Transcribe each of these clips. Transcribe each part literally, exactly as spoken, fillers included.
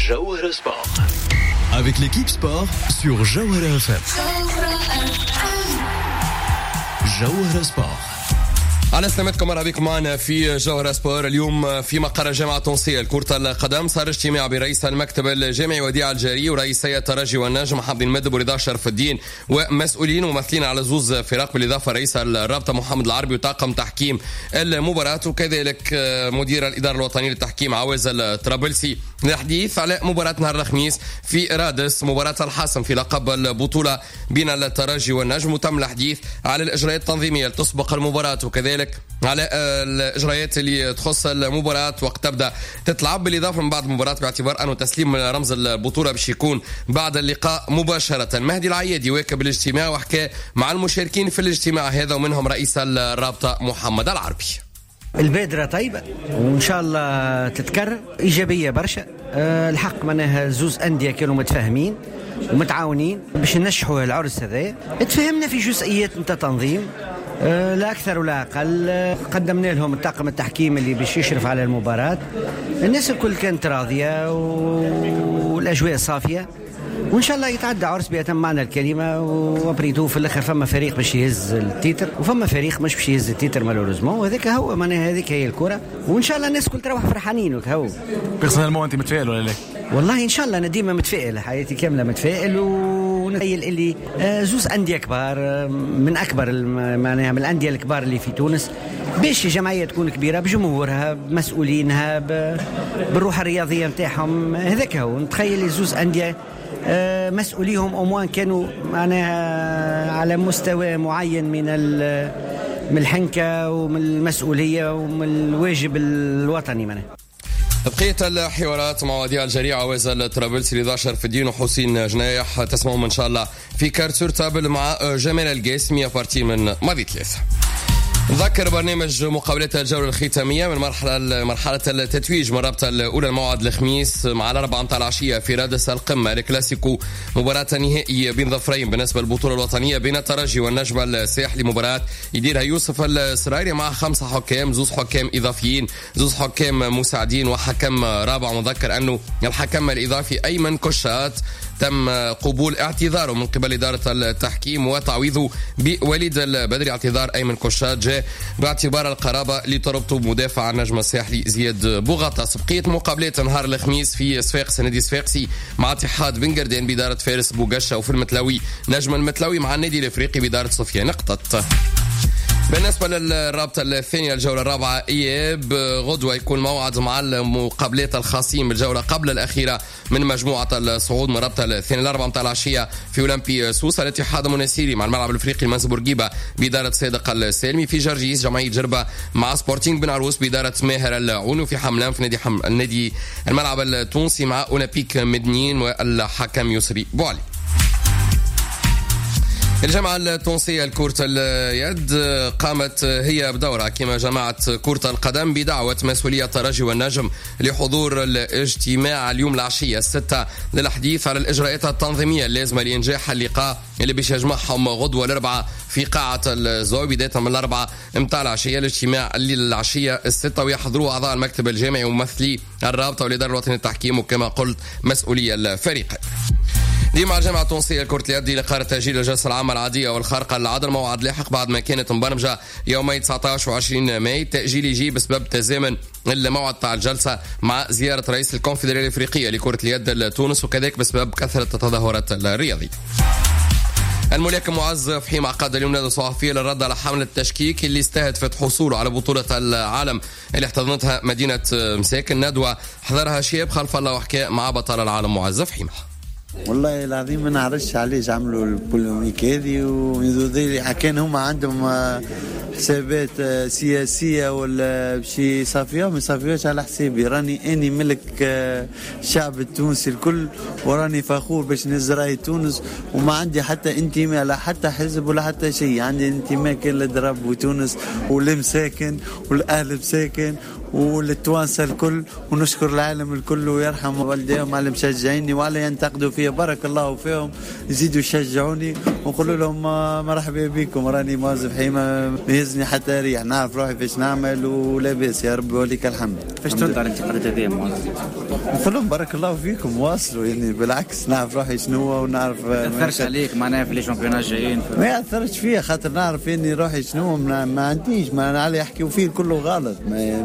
جوهرة Sport. Avec l'équipe sport sur جوهرة F M. جوهرة Sport. على سلامتكم، مرحبا بكم معنا في جوهرة Sport. اليوم في مقر الجامعة التونسية لكرة القدم صار اجتماع برئيس المكتب الجامعي وديع الجاري ورئيسي الترجي والنجم حمدي المدب ورضا شرف الدين ومسؤولين وممثلين على زوز فرق، بالاضافة رئيس الرابطة محمد العربي وطاقم تحكيم المباراة، وكذلك مدير الإدارة الوطنية للتحكيم عواز الطرابلسي، للحديث على مباراة نهار الخميس في رادس، مباراة الحاسم في لقب البطولة بين الترجي والنجم. وتم الحديث على الإجراءات التنظيمية لتسبق المباراة وكذلك على الإجراءات اللي تخص المباراة وقت تبدأ تتلعب، بالإضافة من بعد المباراة باعتبار أنه تسليم رمز البطولة باش يكون بعد اللقاء مباشرة. مهدي العيادي واكب الاجتماع وحكى مع المشاركين في الاجتماع هذا، ومنهم رئيس الرابطة محمد العربي. البادرة طيبة وإن شاء الله تتكرر، إيجابية برشا. الحق معناها زوز أندية كانوا متفاهمين ومتعاونين باش ننجحوا العرس هذا. تفهمنا في جزئيات نتاع تنظيم لا أكثر ولا أقل، قدمنا لهم الطاقم التحكيم اللي باش يشرف على المباراة. الناس الكل كانت راضية والأجواء صافية، وإن شاء الله يتعدى عرس بأتم معنى الكلمة. و après tout في الآخر فما فريق باش يهز ال titre وفما فريق مش باش يهز ال titre malheureusement، وهذاك هو معناها هذيك هي الكرة. وإن شاء الله الناس كل تروح فرحانين. وكهو personnellement أنت متفائل ولا لا؟ والله إن شاء الله أنا ديما متفائل، حياتي كاملة متفائل، ونتخيل اللي زوز أندية كبار من أكبر معناها من الأندية الكبار اللي في تونس، باش جمعية تكون كبيرة بجمهورها بمسؤولينها بالروح الرياضية نتاعهم. هذاك هو نتخيل زوز أندية مسؤوليهم au moins كانوا معناها على مستوى معين من من الحنكة ومن المسؤولية ومن الواجب الوطني معناها. بقية الحوارات مع وديع الجريع عواز الطرابلسي رضا شرف الدين وحسين جنايح تسمعهم ان شاء الله في Cartes sur table مع جمال القاسمي à partir من ماضي ثلاثة. نذكر برنامج مقابلات الجولة الختامية من مرحلة مرحلة التتويج من الرابطة الأولى، الموعد الخميس مع الأربعة متاع العشية في رادس القمة الكلاسيكو، مباراة نهائية بين ظفرين بالنسبة للبطولة الوطنية بين الترجي والنجم الساحلي، مباراة يديرها يوسف السرايري مع خمسة حكام، زوز حكام إضافيين، زوز حكام مساعدين وحكم رابع. ونذكر أنه الحكم الإضافي أيمن كشات تم قبول اعتذاره من قبل إدارة التحكيم وتعويضه بوليد البدري. اعتذار أيمن كشات جاء باعتبار القرابة لتربطه بمدافع النجم الساحلي زياد بوغطاس. بقية مقابلات نهار الخميس في صفاقس، نادي صفاقسي مع اتحاد بن قردان بإدارة فارس بوغشة، وفي المتلوي نجم المتلوي مع النادي الإفريقي بإدارة سفيان نقطة. بالنسبة للرابطة الثانية الجولة الرابعة إياب، غدوة يكون موعد مع المقابلات الخاصين بالجولة قبل الأخيرة من مجموعة الصعود من الرابطة الثانية الأربعة متاع العشية في أولمبي سوسة، الاتحاد المنستيري مع الملعب الأفريقي المنزه بورقيبة بإدارة صادق السالمي، في جرجيس جمعية جربة مع سبورتينغ بن عروس بإدارة ماهر العون، وفي حملان في نادي حم... النادي الملعب التونسي مع أولمبيك مدنين والحكم يسري بوعلي. الجامعة التونسية لكرة اليد قامت هي بدورها كما جماعة كرة القدم بدعوة مسؤولية الترجي والنجم لحضور الاجتماع اليوم العشية الستة للحديث على الإجراءات التنظيمية اللازمة لإنجاح اللقاء اللي باش يجمعهم غدوة الأربعاء في قاعة الزوي بداية من الأربعة متاع العشية. الاجتماع اللي العشية الستة ويحضروه أعضاء المكتب الجامعي وممثلي الرابطة والإدارة الوطنية للتحكيم وكما قلت مسؤولية الفريق. دي مع الجامعة التونسية لكرة اليد لقرار تأجيل الجلسة العامة العادية والخارقة للعدل، موعد لاحق بعد ما كانت مبرمجة يومي تسعة عشر وعشرين ماي. التأجيل يجي بسبب تزامن الموعد تاع الجلسة مع زيارة رئيس الكونفدرالية الإفريقية لكرة اليد لتونس، وكذلك بسبب كثرة التظاهرات الرياضية. الملاكم معز فحيم عقد اليوم ندوة صحفية للرد على حملة التشكيك اللي استهدفت حصوله على بطولة العالم اللي احتضنتها مدينة مساكن. ندوة حضرها شياب خلف الله وحكى مع بطل العالم معز فحيم. والله العظيم ما نعرفش علاش عملوا ال polémique هذه، ومن كان هما عندهم حسابات سياسية ولا بشي يصافيوها ما يصافيوهاش على حسابي. راني اني ملك الشعب التونسي الكل، وراني فخور باش نهز راي تونس، وما عندي حتى انتماء لا حتى حزب ولا حتى شيء. عندي انتماء كان للدرب وتونس والمساكن والاهل مساكن. وللتوانسه الكل، ونشكر العالم الكل ويرحم والديهم على مشجعيني وعلى ينتقدوا فيا، بارك الله فيهم، يزيدوا يشجعوني ونقول لهم مرحبا بكم، راني معز بحيمه ما يهزني حتى ريح، نعرف روحي فاش نعمل ولاباس يا ربي وليك الحمد. فاش ترد على الانتقادات هذه معز؟ نقول لهم بارك الله فيكم واصلوا، يعني بالعكس نعرف روحي شنو ونعرف. ما ياثرش عليك معناها في les championnats الجايين؟ ما ياثرش فيا خاطر نعرف اني روحي شنو، ما, ما عنديش ما علي يحكيو فيه كله غلط، ما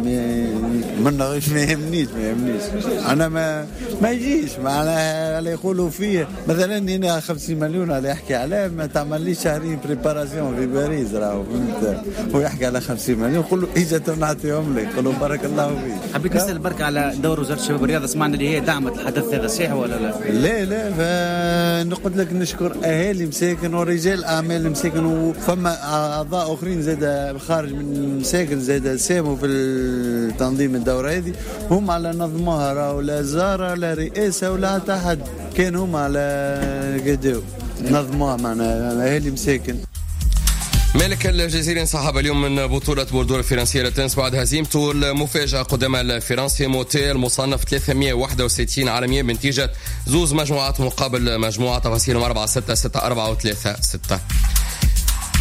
ما ما يهمنيش ما يهمنيش انا ما ما يجيش معناها على يقولوا فيه مثلا هنا خمسين مليون على يحكي عليه، ما تعمليش شهرين préparation في باريس راهو فهمت، ويحكي على خمسين مليون نقول له اجا نعطيهم لك، نقول له بارك الله فيك. حبيت نسال برك على دور وزارة الشباب والرياضة، سمعنا اللي هي دعمت الحدث هذا، صحيح ولا لا؟ لا لا، فنقول لك نشكر اهالي مساكن ورجال اعمال مساكن، وفما اعضاء اخرين زاد خارج من مساكن زاد ساهموا في تنظيم الدورة هذه، هم على نظموها راهو لا زاره لا رئاسة ولا حتى حد، كان هم على قداو نظموها معنا اهالي مساكن. مالك الجزيري انسحب اليوم من بطولة بوردو الفرنسية للتنس بعد هزيمته المفاجأة قدام الفرنسي موتي المصنف ثلاثمية وواحد وستين عالميا بنتيجة زوز مجموعات مقابل مجموعة، تفاصيلهم أربعة ستة ستة أربعة وثلاثة ستة.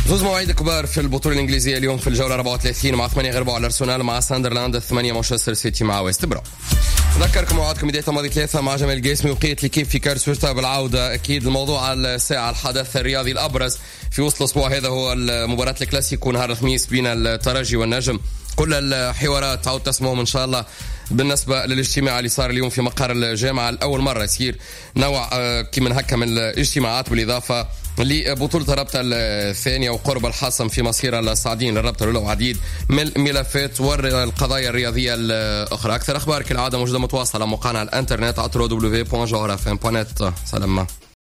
زوز مواعيد كبار في البطولة الإنجليزية اليوم في الجولة أربعة وثلاثين مع ثمانية غير ربع الأرسنال مع ساندرلاند، ثمانية مانشستر سيتي مع ويست بروم. نذكركم موعدكم بداية ماضي ثلاثة مع جمال القاسمي وبقية l'équipe في quart sur table بالعودة. أكيد الموضوع على الساعة الحدث الرياضي الأبرز في وسط الأسبوع هذا هو مباراة الكلاسيكو نهار الخميس بين الترجي والنجم. كل الحوارات تعود تسمعهم إن شاء الله. بالنسبة للاجتماع اللي صار اليوم في مقر الجامعة لأول مرة يصير نوع كي هكا من الاجتماعات، بالإضافة لبطولة الرابطة الثانية وقرب الحاسم في مصير الصاعدين للرابطة الأولى وعديد من الملفات والقضايا الرياضية الأخرى. أكثر أخبار كالعادة موجودة متواصلة موقعنا على الإنترنت على دبليو دبليو دبليو دوت جوهرة إف إم دوت نت. سلام.